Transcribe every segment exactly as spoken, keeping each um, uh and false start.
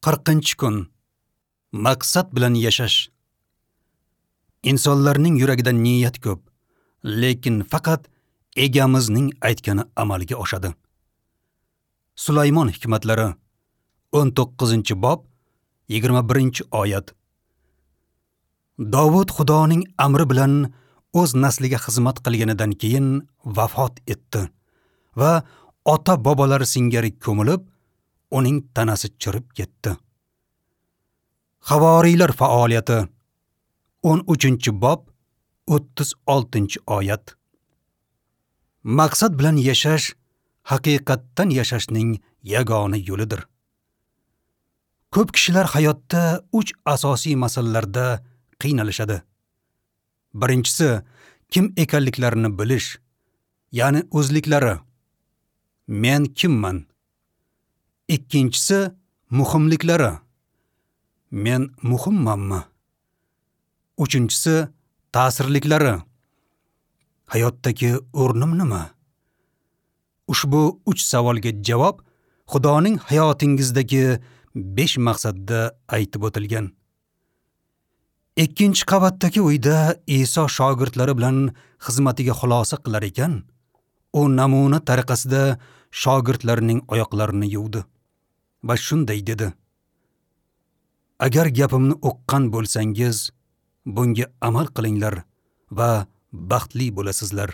Qirqinchi kun. Maqsad bilan yashash. Insonlarning yuragida niyat ko'p, lekin faqat egamizning aytgani amalga oshadi. Sulaymon hikmatlari o'n to'qqizinchi bob yigirma birinchi oyat. Dovud Xudoning amri bilan o'z nasliga xizmat qilganidan keyin vafot etdi va ota-bobolari singari ko'milib, uning tanasi chirib ketdi. Havoriylar faoliyati o'n uchinchi bob o'ttiz oltinchi oyat. Maqsad bilan yashash haqiqatdan yashashning yagona yo'lidir. Ko'p kishilar hayotda uch asosiy masalalarda qiynalishadi. Birinchisi, kim ekanliklarini bilish, ya'ni o'zliklari. Men kimman? Ikkinchisi, muhimliklari. Men muhimmanmi? Uchinchisi, ta'sirliklari. Hayotdagi o'rnim nima? Ushbu uch savolga javob Xudoning hayotingizdagi besh maqsadda aytib o'tilgan. Ikkinchi qavatdagi uyda Iso shogirdlari bilan xizmatiga xulosa qilar ekan, u namuna tariqasida shogirdlarining oyoqlarini yuvdi va shunday dedi: Agar gapimni uqqan bo'lsangiz, bunga amal qilinglar va baxtli bo'lasizlar.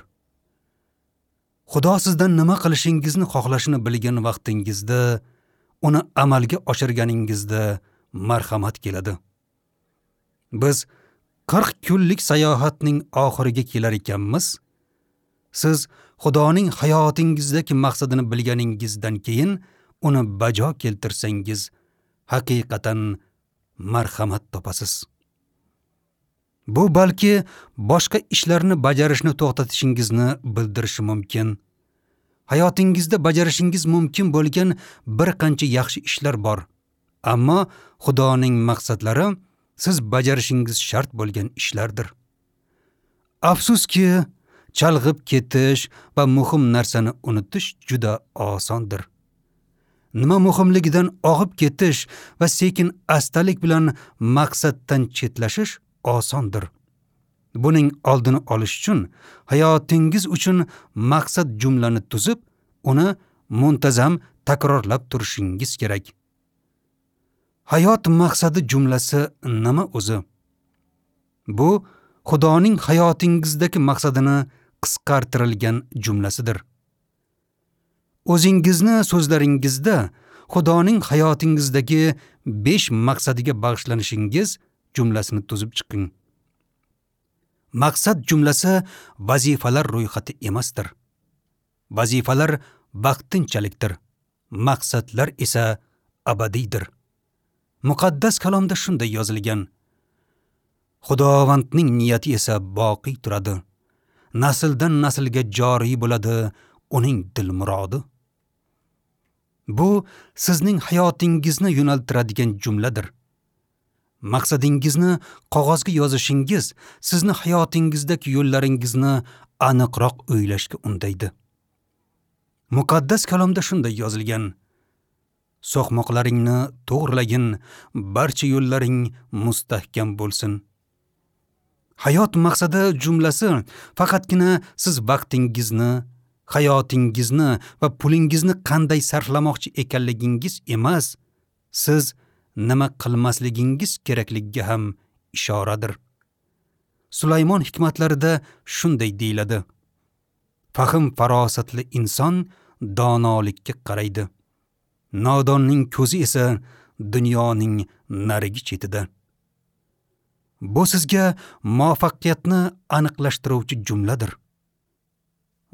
Xudo sizdan nima qilishingizni xohlashini bilgan vaqtingizda, uni amalga oshirganingizda marhamat keladi. Biz qirq kunlik sayohatning oxiriga kelar ekanmiz. Siz Xudoning hayotingizdagi maqsadini bilganingizdan keyin uni bajo keltirsangiz, haqiqatan marhamat topasiz. Bu balki boshqa ishlarni bajarishni to'xtatishingizni bildirishi mumkin. Hayotingizda bajarishingiz mumkin bo'lgan bir qancha yaxshi ishlar bor. Ammo Xudoning maqsadlari siz bajarishingiz shart bo'lgan ishlardir. Afsuski, chalg'ib ketish va muhim narsani unutish juda osondir. Nima muhimligidan og'ib ketish va sekin astalik bilan maqsaddan chetlashish osondir. Buning oldini olish uchun hayotingiz uchun maqsad jumlani tuzib, uni muntazam takrorlab turishingiz kerak. Hayot maqsadi jumlasi nima o'zi? Bu Xudoning hayotingizdagi maqsadini qisqartirilgan jumlasidir. O'zingizni so'zlaringizda Xudoning hayotingizdagi besh maqsadiga bag'ishlanishingiz jumlasini tuzib chiqing. Maqsad jumlasi vazifalar ro'yxati emasdir. Vazifalar vaqtinchalikdir, maqsadlar esa abadiydir. Muqaddas kalomda shunday yozilgan: Xudovandning niyati esa boqiy turadi. Nasldan naslga joriy bo'ladi uning dil murodi. Bu sizning hayotingizni yo'naltiradigan jumladir. Maqsadingizni qog'ozga yozishingiz sizni hayotingizdagi yo'llaringizni aniqroq o'ylashga undaydi. Muqaddas kalomda shunday yozilgan: So'qmoqlaringni to'g'rilagin, barcha yo'llaring mustahkam bo'lsin. Hayot maqsadi jumlasi faqatgina siz vaqtingizni, hayotingizni va pulingizni qanday sarflamoqchi ekanligingiz emas, siz nima qilmasligingiz kerakligiga ham ishoradir. Sulaymon hikmatlarida shunday deyiladi: Fahm farosatli inson donolikka qaraydi. Nodonning ko'zi esa dunyoning narigi chetida. Bu sizga muvaffaqiyatni aniqlashtiruvchi jumladir.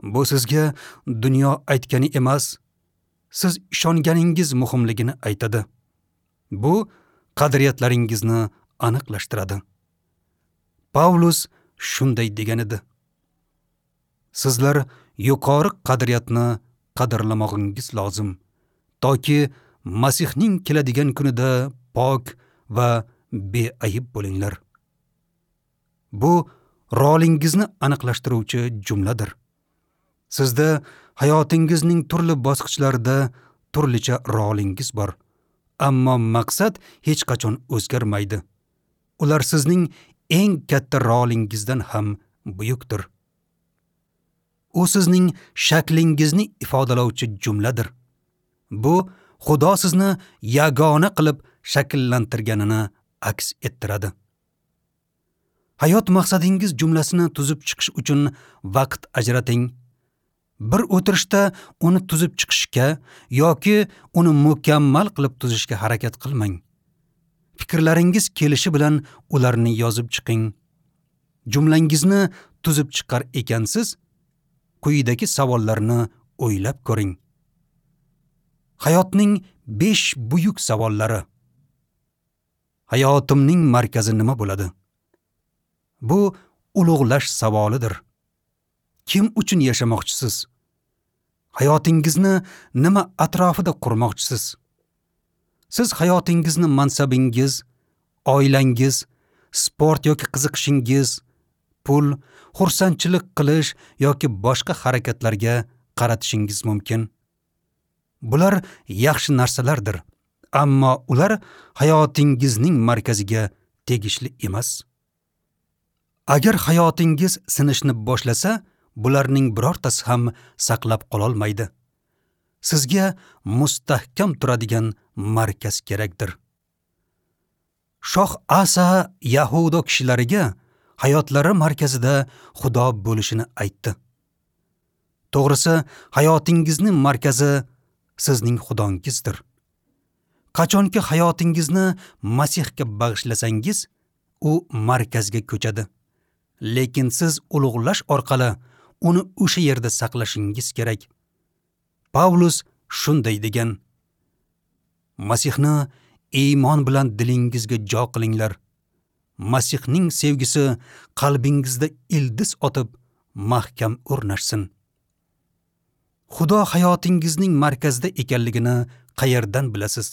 Bu sizga dunyo aytgani emas, siz ishonganingiz muhimligini aytadi. Bu qadriyatlaringizni aniqlashtiradi. Pavlus shunday degan edi: Sizlar yuqori qadriyatni qadrlamog'ingiz lozim, toki Masihning keladigan kunida pok va beayb bo'linglar. Bu rolingizni aniqlashtiruvchi jumladir. Sizda hayotingizning turli bosqichlarida turlicha rolingiz bor. Ammo maqsad hech qachon o'zgarmaydi. Ular sizning eng katta rolingizdan ham buyukdir. U sizning shaklingizni ifodalovchi jumladir. Bu Xudo sizni yagona qilib shakllantirganini aks ettiradi. Hayot maqsadingiz jumlasini tuzib chiqish uchun vaqt ajrating. Bir o'tirishda uni tuzib chiqishga yoki uni mukammal qilib tuzishga harakat qilmang. Fikrlaringiz kelishi bilan ularni yozib chiqing. Jumlangizni tuzib chiqar ekansiz, quyidagi savollarni o'ylab ko'ring. Hayotning besh buyuk savollari. Hayotimning markazi nima bo'ladi? Bu ulug'lash savolidir. Kim uchun yashamoqchisiz? Hayotingizni nima atrofida qurmoqchisiz? Siz hayotingizni mansabingiz, oilangiz, sport yoki qiziqishingiz, pul, xursandchilik qilish yoki boshqa harakatlarga qaratishingiz mumkin. Bular yaxshi narsalardir, ammo ular hayotingizning markaziga tegishli emas. Agar hayotingiz sinishni boshlasa, bularning birortasi ham saqlab qololmaydi. Sizga mustahkam turadigan markaz kerakdir. Shoh Asa Yahudo kishilariga hayotlari markazida Xudo bo'lishini aytdi. To'g'risi, hayotingizning markazi sizning Xudongizdir. Qachonki hayotingizni Masihga bag'ishlasangiz, u markazga ko'chadi. Lekin siz ulug'lash orqali uni o'sha yerda saqlashingiz kerak. Pavlus shunday degan: Masihni iymon bilan dilingizga jo qilinglar. Masihning sevgisi qalbingizda ildiz otib mahkam o'rnashsin. Xudo hayotingizning markazida ekanligini qayerdan bilasiz?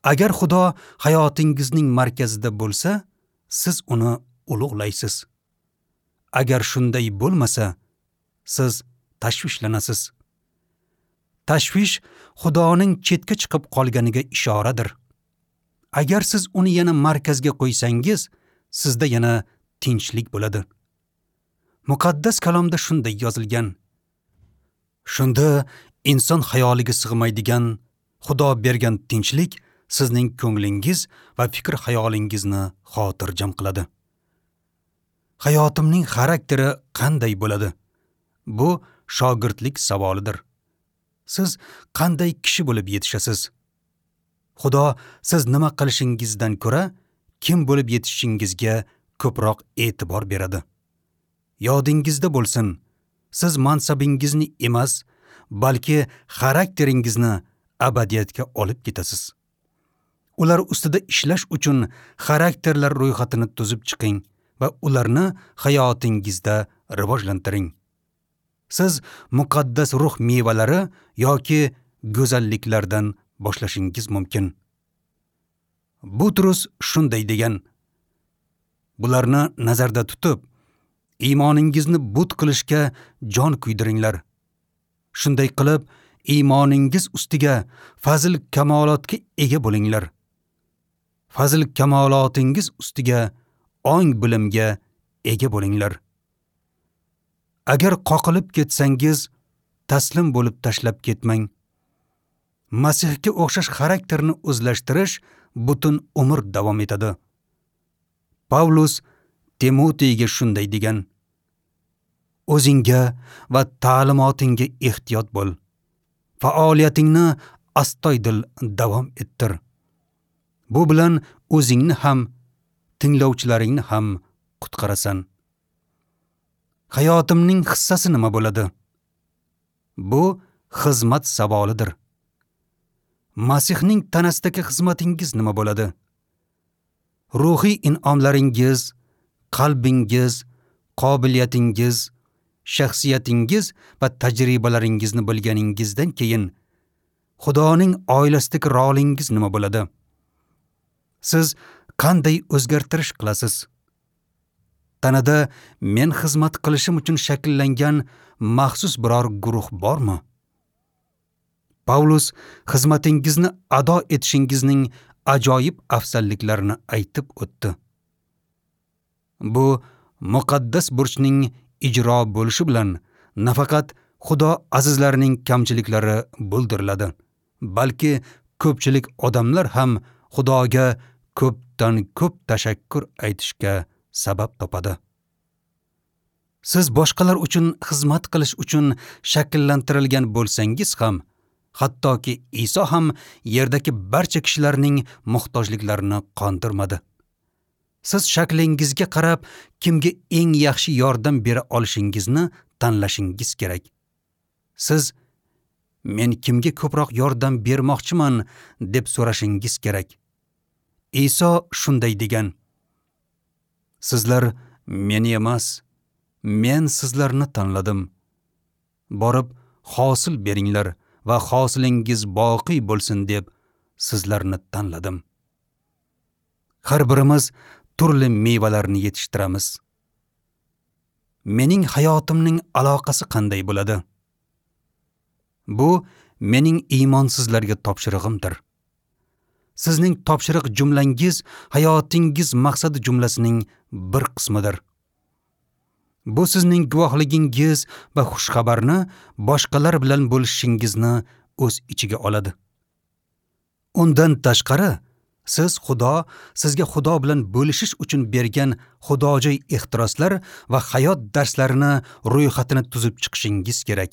Agar Xudo hayotingizning markazida bo'lsa, siz uni ulug'laysiz. Agar shunday bo'lmasa, siz tashvishlanasiz. Tashvish Xudoning chetga chiqib qolganiga ishoradir. Agar siz uni yana markazga qo'ysangiz, sizda yana tinchlik bo'ladi. Muqaddas kalomda shunday yozilgan: Shunda inson xayoliga sig'maydigan Xudo bergan tinchlik sizning ko'nglingiz va fikr xayolingizni xotirjam qiladi. Hayotimning xarakteri qanday bo'ladi? Bu shogirdlik savolidir. Siz qanday kishi bo'lib yetishasiz? Xudo siz nima qilishingizdan ko'ra kim bo'lib yetishingizga ko'proq e'tibor beradi. Yodingizda bo'lsin, siz mansabingizni emas, balki xarakteringizni abadiyatga olib ketasiz. Ular ustida ishlash uchun xarakterlar ro'yxatini tuzib chiqing va ularni hayotingizda rivojlantiring. Siz muqaddas ruh mevalari yoki go'zalliklardan boshlashingiz mumkin. Butrus shunday degan: Bularni nazarda tutib, iymoningizni but qilishga jon kuydiringlar. Shunday qilib, iymoningiz ustiga fazil kamolotga ega bo'linglar. Fazil kamolotingiz ustiga ong bilimga ega bo'linglar. Agar qoqilib ketsangiz, taslim bo'lib tashlab ketmang. Masihga o'xshash xarakterni o'zlashtirish butun umr davom etadi. Pavlus Timoteyga shunday degan: O'zingga va ta'limotingga ehtiyot bo'l. Faoliyatingni astoydil davom ettir. Bu bilan o'zingni ham, tinglovchilaringni ham qutqarasan. Hayotimning hissasi nima bo'ladi? Bu xizmat savolidir. Masihning tanasidagi xizmatingiz nima bo'ladi? Ruhiy in'omlaringiz, qalbingiz, qobiliyatingiz, shaxsiyatingiz va tajribalaringizni bilganingizdan keyin Xudoning oilasidagi rolingiz nima bo'ladi? Siz qanday o'zgartirish qilasiz? Tanada men xizmat qilishim uchun shakllangan maxsus biror guruh bormi? Pavlus xizmatingizni ado etishingizning ajoyib afzalliklarini aytib o'tdi. Bu muqaddas burchning ijro bo'lishi bilan nafaqat Xudo azizlarining kamchiliklari bildiriladi, balki ko'pchilik odamlar ham Xudoga ko'pdan ko'p tashakkur aytishga sabab topadi. Siz boshqalar uchun xizmat qilish uchun shakllantirilgan bo'lsangiz ham, hattoki Iso ham yerdagi barcha kishilarning muhtojliklarini qondirmadi. Siz shaklingizga qarab kimga eng yaxshi yordam bera olishingizni tanlashingiz kerak. Siz men kimga ko'proq yordam bermoqchiman deb so'rashingiz kerak. Iso shunday degan: Sizlar meni emas, men sizlarni tanladim. Borib hosil beringlar va hosilingiz boqiy bo'lsin deb sizlarni tanladim. Har birimiz turli mevalarni yetishtiramiz. Mening hayotimning aloqasi qanday bo'ladi? Bu mening iymonsizlarga topshirig'imdir. Sizning topshiriq jumlangiz hayotingiz maqsadi jumlasining bir qismidir. Bu sizning guvohligingiz va xushxabarni boshqalar bilan bo'lishingizni o'z ichiga oladi. Undan tashqari, siz Xudo sizga Xudo bilan bo'lishish uchun bergan xudojo'y ehtiroslar va hayot darslarini ro'yxatini tuzib chiqishingiz kerak.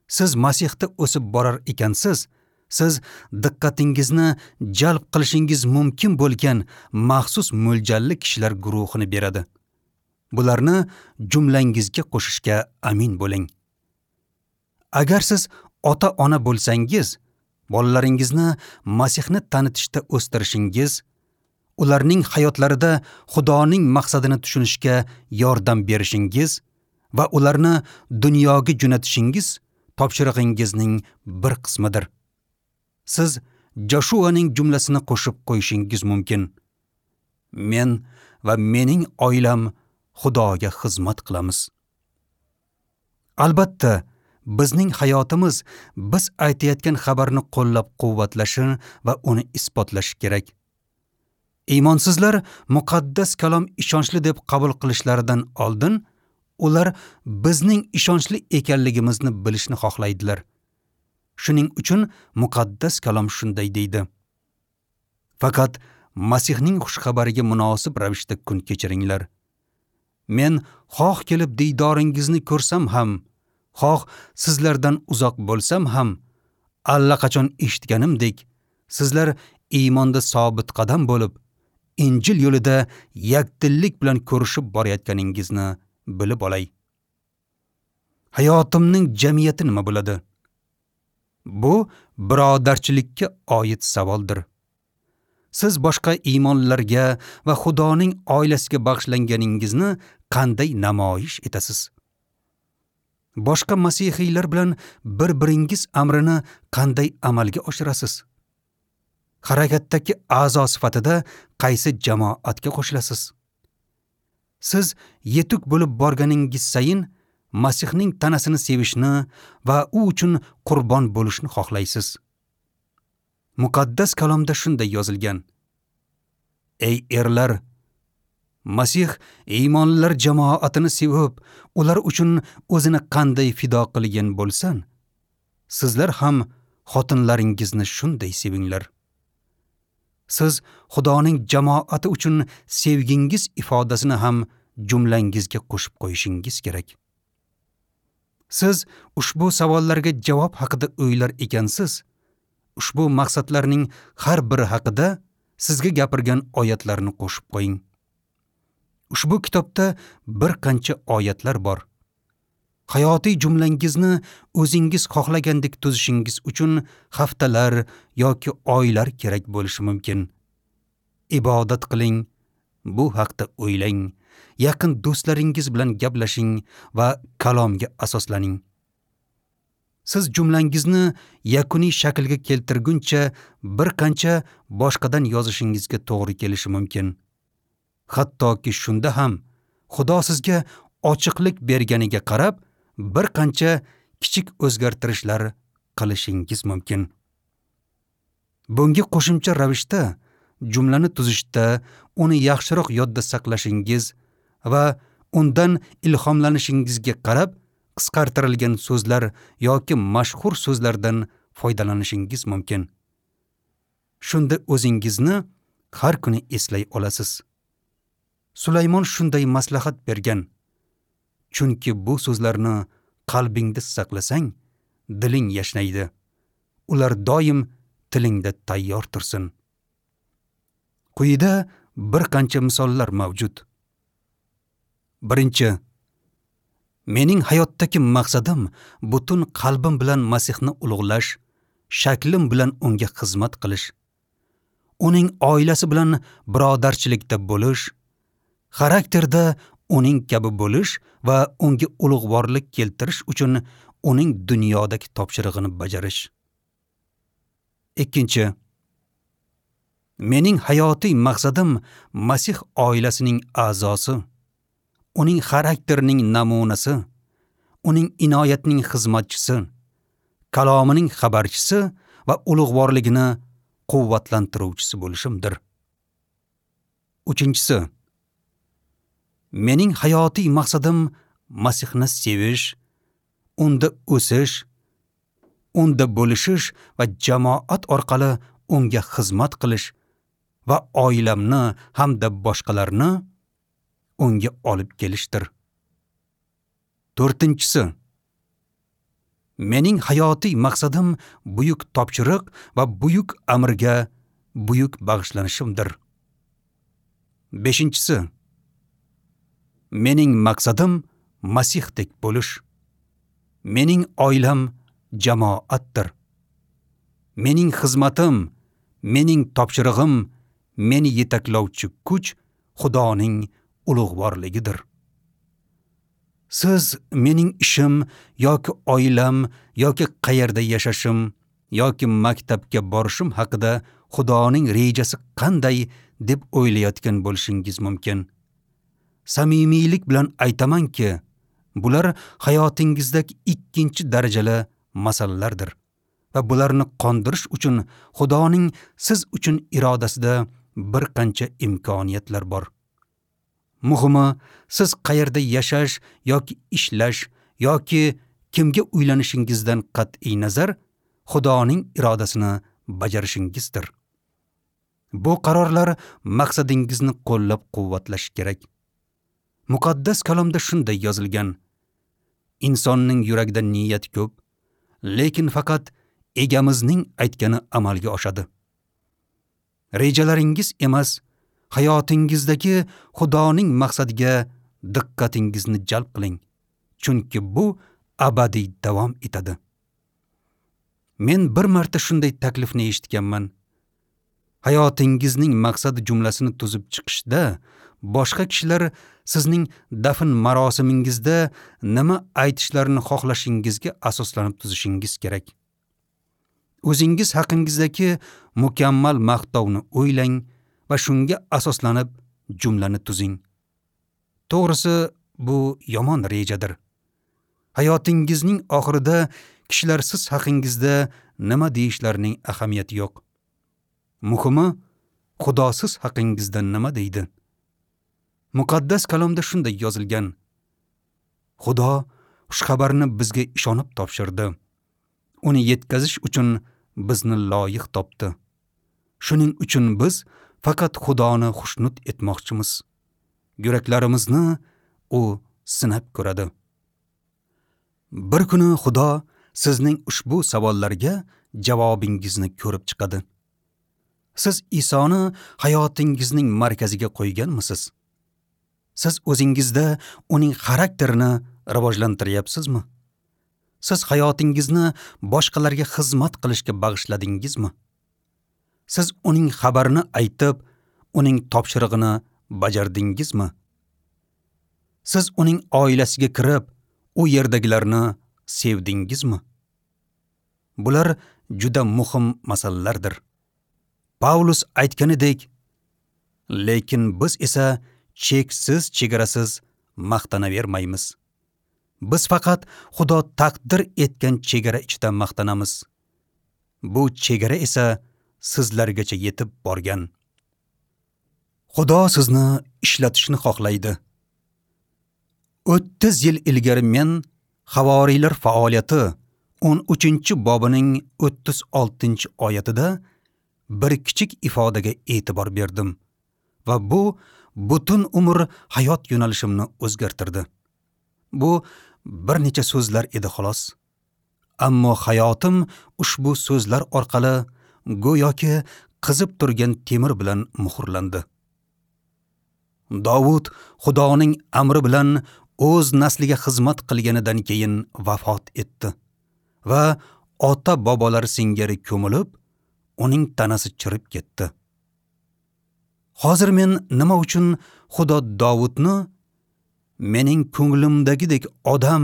Siz Masihda o'sib borar ekansiz, siz diqqatingizni jalb qilishingiz mumkin bo'lgan maxsus mo'ljalli kishilar guruhini beradi. Bularni jumlangizga qo'shishga amin bo'ling. Agar siz ota-ona bo'lsangiz, bolalaringizni Masihni tanitishda o'stirishingiz, ularning hayotlarida Xudoning maqsadini tushunishga yordam berishingiz va ularni dunyoga jo'natishingiz topshirig'ingizning bir qismidir. Siz Joshuaning jumlasini qo'shib qo'yishingiz mumkin. Men va mening oilam Xudoga xizmat qilamiz. Albatta, bizning hayotimiz biz aytayotgan xabarni qo'llab-quvvatlashi va uni isbotlashi kerak. Iymonsizlar muqaddas kalom ishonchli deb qabul qilishlaridan oldin ular bizning ishonchli ekanligimizni bilishni xohlaydilar. Shuning uchun muqaddas kalom shunday deydi: Faqat Masihning xushxabariga munosib ravishda kun kechiringlar. Men xoh kelib diydoringizni ko'rsam ham, xoh sizlardan uzoq bo'lsam ham, allaqachon eshitganimdek, sizlar iymonda sobit qadam bo'lib, Injil yo'lida yakdillik bilan ko'rishib borayotganingizni bilib olay. Hayotimning jamiyati nima bo'ladi? Bu birodarchilikka oid savoldir. Siz boshqa iymonlarga va Xudoning oilasiga bag'ishlanganingizni qanday namoyish etasiz? Boshqa masihiylar bilan bir-biringiz amrini qanday amalga oshirasiz? Harakatdagi a'zo sifatida qaysi jamoatga qo'shilasiz? Siz yetuk bo'lib borganingiz sayin Masihning tanasini sevishni va u uchun qurbon bo'lishni xohlaysiz. Muqaddas kalomda shunday yozilgan: Ey erlar, Masih iymonlilar jamoatini sevib, ular uchun o'zini qanday fido qilgan bo'lsan, sizlar ham xotinlaringizni shunday sevinglar. Siz Xudoning jamoati uchun sevgingiz ifodasini ham jumlangizga qo'shib qo'yishingiz kerak. Siz ushbu savollarga javob haqida o'ylar ekansiz, ushbu maqsadlarning har biri haqida sizga gapirgan oyatlarni qo'shib qo'ying. Ushbu kitobda bir qancha oyatlar bor. Hayotiy jumlangizni o'zingiz xohlagandek tuzishingiz uchun haftalar yoki oylar kerak bo'lishi mumkin. Ibodat qiling, bu haqda o'ylang, yaqin do'stlaringiz bilan gaplashing va kalomga asoslaning. Siz jumlangizni yakuniy shaklga keltirguncha bir qancha boshqadan yozishingizga to'g'ri kelishi mumkin. Hattoki shunda ham Xudo sizga ochiqlik berganiga qarab bir qancha kichik o'zgartirishlar qilishingiz mumkin. Bunga qo'shimcha ravishda jumlani tuzishda uni yaxshiroq yodda saqlashingiz va undan ilhomlanishingizga qarab qisqartirilgan so'zlar yoki mashhur so'zlardan foydalanishingiz mumkin. Shunda o'zingizni har kuni eslay olasiz. Sulaymon shunday maslahat bergan: chunki bu so'zlarni qalbingda saqlasang, diling yashnaydi. Ular doim tilingda tayyor tursin. Quyida bir qancha misollar mavjud. Birinchi, mening hayotdagi maqsadim butun qalbim bilan Masihni ulug'lash, shaklim bilan unga xizmat qilish, uning oilasi bilan birodarchilikda bo'lish, xarakterda uning kabi bo'lish va unga ulug'vorlik keltirish uchun uning dunyodagi topshirig'ini bajarish. Ikkinchi, mening hayotiy maqsadim Masih oilasining a'zosi, uning xarakterining namunasi, uning inoyatining xizmatchisi, kalomining xabarchisi va ulug'vorligini quvvatlantiruvchisi bo'lishimdir. Uchinchisi, mening hayotiy maqsadim Masihni sevish, unda o'sish, unda bo'lishish va jamoat orqali unga xizmat qilish va oilamni hamda boshqalarni unga olib kelishdir. To'rtinchisi, mening hayotiy maqsadim buyuk topshiriq va buyuk amrga buyuk bag'ishlanishimdir. Beshinchisi, mening maqsadim Masihdek bo'lish. Mening oilam jamoatdir. Mening xizmatim, mening topshirig'im, meni yetaklovchi kuch Xudoning ulug'vorligidir. Siz mening ishim yoki oilam yoki qayerda yashashim yoki maktabga borishim haqida Xudoning rejasi qanday deb o'ylayotgan bo'lishingiz mumkin. Samimiylik bilan aytamanki, bular hayotingizdagi ikkinchi darajali masalalardir va bularni qondirish uchun Xudoning siz uchun irodasida bir qancha imkoniyatlar bor. Muhimi, siz qayerda yashash yoki ishlash yoki kimga uylanishingizdan qat'iy nazar Xudoning irodasini bajarishingizdir. Bu qarorlar maqsadingizni qo'llab-quvvatlashi kerak. Muqaddas kalomda shunday yozilgan: insonning yuragida niyat ko'p, lekin faqat egamizning aytgani amalga oshadi. Rejalaringiz emas, hayotingizdagi Xudoning maqsadiga diqqatingizni jalb qiling, chunki bu abadiy davom etadi. Men bir marta shunday taklifni eshitganman. Hayotingizning maqsadi jumlasini tuzib chiqishda boshqa kishilar sizning dafn marosimingizda nima aytishlarini xohlashingizga asoslanib tuzishingiz kerak. O'zingiz haqingizdagi mukammal maqtovni o'ylang va shunga asoslanib jumlani tuzing. To'g'risi, bu yomon rejadir. Hayotingizning oxirida kishilar siz haqingizda nima deyishlarining ahamiyati yo'q. Muhimi, Xudo siz haqingizda nima deydi? Muqaddas kalomda shunday yozilgan: Xudo xushxabarni bizga ishonib topshirdi. Uni yetkazish uchun bizni loyiq topdi. Shuning uchun biz faqat Xudoni xushnud etmoqchimiz. Yuraklarimizni u sinab ko'radi. Bir kuni Xudo sizning ushbu savollarga javobingizni ko'rib chiqadi. Siz Isoni hayotingizning markaziga qo'yganmisiz? Siz o'zingizda uning xarakterini rivojlantiryapsizmi? Siz hayotingizni boshqalarga xizmat qilishga bag'ishladingizmi? Siz uning xabarini aytib, uning topshirig'ini bajardingizmi? Siz uning oilasiga kirib, u yerdagilarni sevdingizmi? Bular juda muhim masalalardir. Paulus aytganidek, lekin biz esa cheksiz chegarasiz maqtanavermaymiz. Biz faqat Xudo taqdir etgan chegara ichida maqtanamiz. Bu chegara esa sizlargacha yetib borgan. Xudo sizni ishlatishni xohlaydi. o'ttiz yil ilgari men Havoriylar faoliyati o'n uchinchi bobining o'ttiz oltinchi oyatida bir kichik ifodaga e'tibor berdim va bu butun umr hayot yo'nalishimni o'zgartirdi. Bu bir necha so'zlar edi xolos. Ammo hayotim ushbu so'zlar orqali go'yoki qizib turgan temir bilan muhrlandi. Davud Xudoning amri bilan o'z nasliga xizmat qilganidan keyin vafot etdi va ota-bobolari singari ko'milib, uning tanasi chirib ketdi. Hozir men nima uchun Xudo Davudni mening ko'nglimdagidek odam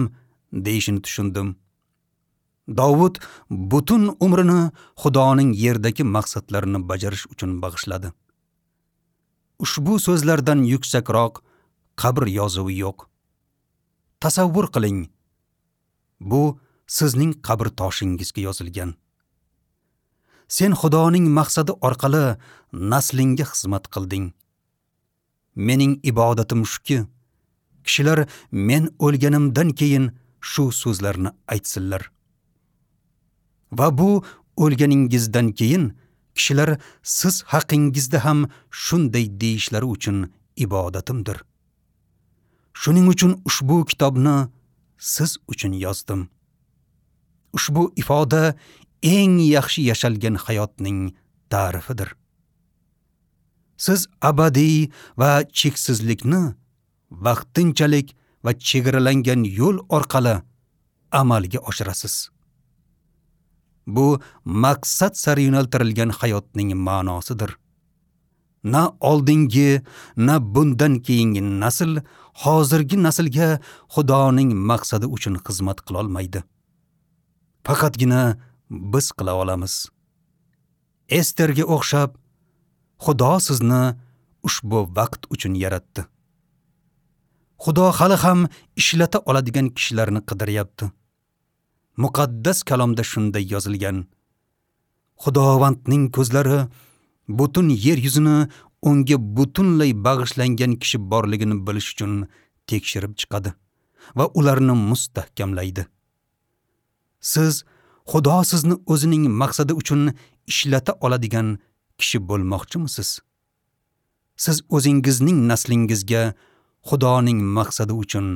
deyishini tushundim. Davud butun umrini Xudoning yerdagi maqsadlarini bajarish uchun bag'ishladi. Ushbu so'zlardan yuksakroq qabr yozuvi yo'q. Tasavvur qiling, bu sizning qabr toshingizga yozilgan. Sen Xudoning maqsadi orqali naslingga xizmat qilding. Mening ibodatim shuki, kishilar men o'lganimdan keyin shu so'zlarni aytsinlar. Va bu o'lganingizdan keyin kishilar siz haqingizda ham shunday deyishlari uchun ibodatimdir. Shuning uchun ushbu kitobni siz uchun yozdim. Ushbu ifoda eng yaxshi yashalgan hayotning ta'rifidir. Siz abadiy va cheksizlikni vaqtinchalik va chegaralangan yo'l orqali amalga oshirasiz. Bu maqsad sari yo'naltirilgan hayotning ma'nosidir. Na oldingi, na bundan keyingi nasl hozirgi naslga Xudoning maqsadi uchun xizmat qila olmaydi. Faqatgina biz qila olamiz. Esterga o'xshab Xudo sizni ushbu vaqt uchun yaratdi. Xudo hali ham ishlata oladigan kishilarni qidiryapti. Muqaddas kalomda shunday yozilgan: Xudovandning ko'zlari butun yer yuzini unga butunlay bag'ishlangan kishi borligini bilish uchun tekshirib chiqadi va ularni mustahkamlaydi. Siz Xudo sizni o'zining maqsadi uchun ishlata oladigan kishi bo'lmoqchimisiz? Siz o'zingizning naslingizga Xudoning maqsadi uchun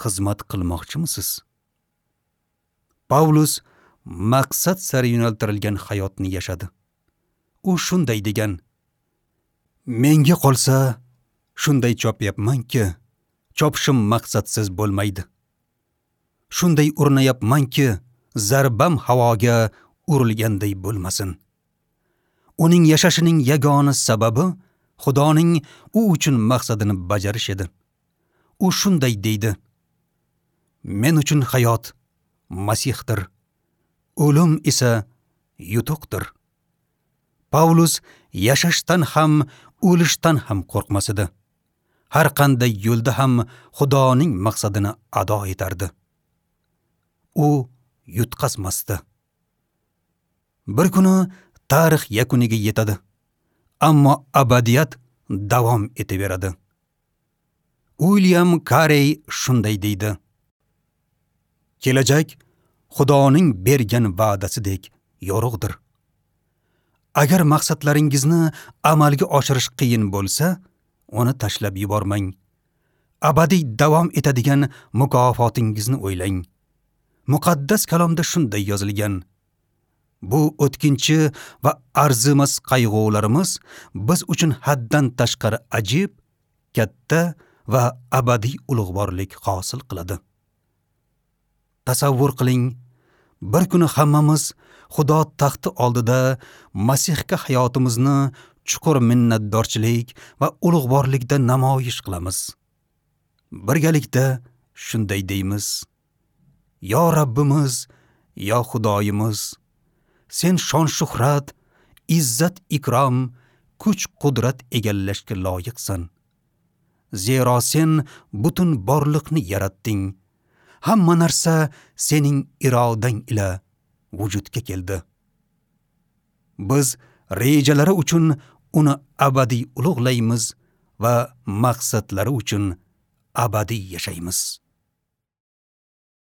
xizmat qilmoqchimisiz? Pavlus maqsad sari yo'naltirilgan hayotni yashadi. U shunday degan: Menga qolsa shunday chopyapmanki, chopishim maqsadsiz bo'lmaydi. Shunday urinayapmanki, zarbam havoga urilganday bo'lmasin. Uning yashashining yagona sababi Xudoning u uchun maqsadini bajarish edi. U shunday deydi: Men uchun hayot Masihdir, o'lim esa yutuqdir. Pavlus yashashdan ham, o'lishdan ham qo'rqmas edi. Har qanday yo'lda ham Xudoning maqsadini ado etardi. U yutqazmasdi. Bir kuni tarix yakuniga yetadi, ammo abadiyat davom etaveradi. Uilyam Karey shunday deydi: Kelajak Xudoning bergan va'dasidek yorug'dir. Agar maqsadlaringizni amalga oshirish qiyin bo'lsa, uni tashlab yubormang. Abadiy davom etadigan mukofotingizni o'ylang. Muqaddas kalomda shunday yozilgan: Bu o'tkinchi va arzimas qayg'ularimiz biz uchun haddan tashqari ajib, katta va abadiy ulug'vorlik hosil qiladi. Tasavvur qiling, bir kuni hammamiz Xudo taxti oldida Masihga hayotimizni chuqur minnatdorchilik va ulug'vorlikda namoyish qilamiz. Birgalikda shunday deymiz: Yo Rabbimiz, yo Xudoyimiz, sen shon-shuhrat, izzat ikrom, kuch-qudrat egallashga loyiqsan. Zero sen butun borliqni yaratding. Hamma narsa sening irodang ila vujudga keldi. Biz rejalari uchun uni abadiy ulug'laymiz va maqsadlari uchun abadiy yashaymiz.